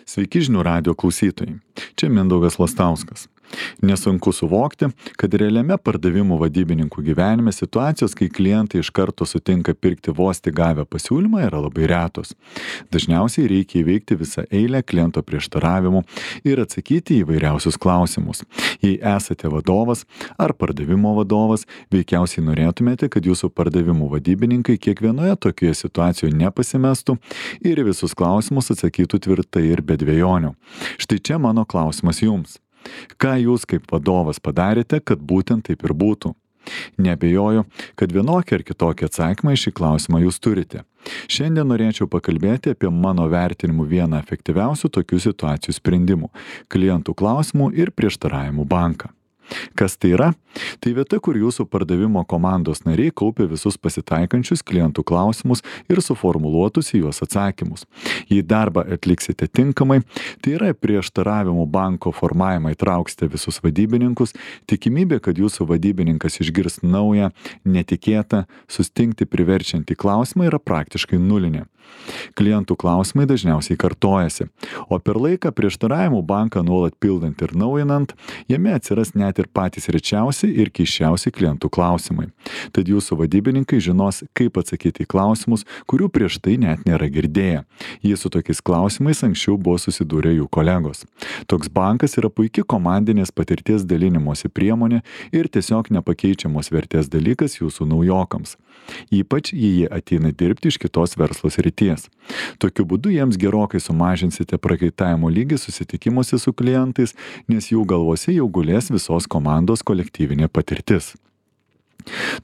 Sveiki žinių radio klausytojai. Čia Mindaugas Lastauskas. Nesunku suvokti, kad realiame pardavimų vadybininkų gyvenime situacijos, kai klientai iš karto sutinka pirkti vos tik gavę pasiūlymą, yra labai retos. Dažniausiai reikia įveikti visą eilę kliento prieštaravimų ir atsakyti į įvairiausius klausimus. Jei esate vadovas ar pardavimo vadovas, veikiausiai norėtumėte, kad jūsų pardavimų vadybininkai kiekvienoje tokioje situacijoje nepasimestų ir į visus klausimus atsakytų tvirtai ir be dvejonių. Štai čia mano klausimas jums. Ką jūs kaip vadovas padarėte, kad būtent taip ir būtų? Neabejoju, kad vienokį ar kitokį atsakymą į šį klausimą jūs turite. Šiandien norėčiau pakalbėti apie mano vertinimu vieną efektyviausių tokių situacijų sprendimų - klientų klausimų ir prieštaravimų banką. Kas tai yra? Tai vieta, kur jūsų pardavimo komandos nariai kaupia visus pasitaikančius klientų klausimus ir suformuluotus į juos atsakymus. Jei darbą atliksite tinkamai, tai yra prieštaravimų banko formavimą įtrauksite visus vadybininkus, tikimybė, kad jūsų vadybininkas išgirs naują, netikėtą, sustingti priverčiantį klausimą yra praktiškai nulinė. Klientų klausimai dažniausiai kartojasi, o per laiką prieštaravimų banką nuolat pildant ir naujinant, jame atsiras net ir patys rečiausi ir keisčiausi klientų klausimai. Tad jūsų vadybininkai žinos, kaip atsakyti į klausimus, kurių prieš tai net nėra girdėję. Jie su tokiais klausimais anksčiau buvo susidūrę jų kolegos. Toks bankas yra puikia komandinės patirties dalinimosi priemonė ir tiesiog nepakeičiamos vertės dalykas jūsų naujokams. Ypač jei jie ateina dirbti iš kitos verslo srities. Tokiu būdu jiems gerokai sumažinsite prakaitavimo lygį susitikimuose su klientais, nes jų galvose jau gulės visos komandos kolektyvinė patirtis.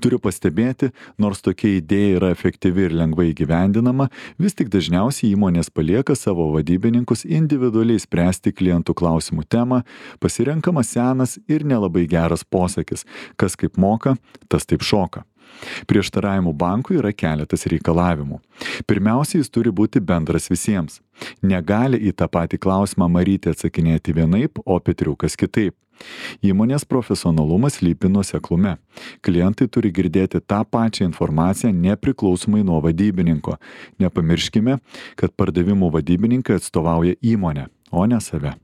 Turiu pastebėti, nors tokia idėja yra efektyvi ir lengvai įgyvendinama, vis tik dažniausiai įmonės palieka savo vadybininkus individualiai spręsti klientų klausimų temą, pasirenkamas senas ir nelabai geras posakis, kas kaip moka, tas taip šoka. Prieštaravimų bankui yra keletas reikalavimų. Pirmiausia, jis turi būti bendras visiems. Negali į tą patį klausimą Marytė atsakinėti vienaip, o Petriukas kitaip. Įmonės profesionalumas slypi nuoseklume. Klientai turi girdėti tą pačią informaciją nepriklausomai nuo vadybininko. Nepamirškime, kad pardavimų vadybininkai atstovauja įmonę, o ne save.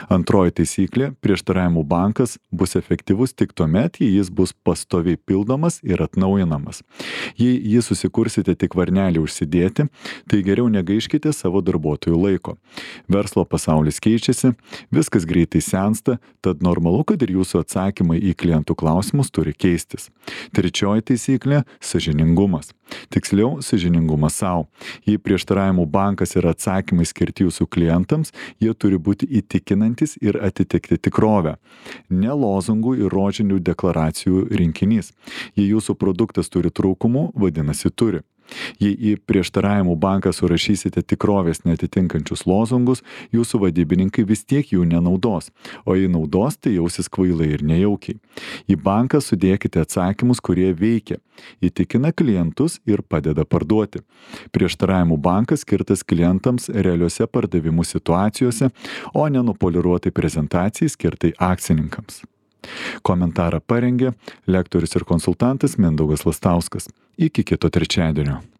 Antroji taisyklė - prieštaravimų bankas bus efektyvus tik tuomet, jei jis bus pastoviai pildomas ir atnaujinamas. Jei jį susikursite tik varnelį užsidėti, tai geriau negaiškite savo darbuotojų laiko. Verslo pasaulis keičiasi, viskas greitai sensta, tad normalu, kad ir jūsų atsakymai į klientų klausimus turi keistis. Trečioji taisyklė - sąžiningumas. Tiksliau, sąžiningumas savo. Jei prieštaravimų bankas yra atsakymai skirti jūsų klientams, jie turi būti įtikinantis ir atitikti tikrovę. Ne lozungų ir rožinių deklaracijų rinkinys. Jei jūsų produktas turi trūkumų, vadinasi turi. Jei į prieštaravimų banką surašysite tikrovės neatitinkančius lozungus, jūsų vadybininkai vis tiek jų nenaudos, o jei naudos, tai jausis kvailai ir nejaukiai. Į banką sudėkite atsakymus, kurie veikia, įtikina klientus ir padeda parduoti. Prieštaravimų bankas skirtas klientams realiuose pardavimų situacijose, o ne nupoliruotai prezentacijai skirtai akcininkams. Komentarą parengė lektorius ir konsultantas Mindaugas Lastauskas. Iki kito trečiadienio.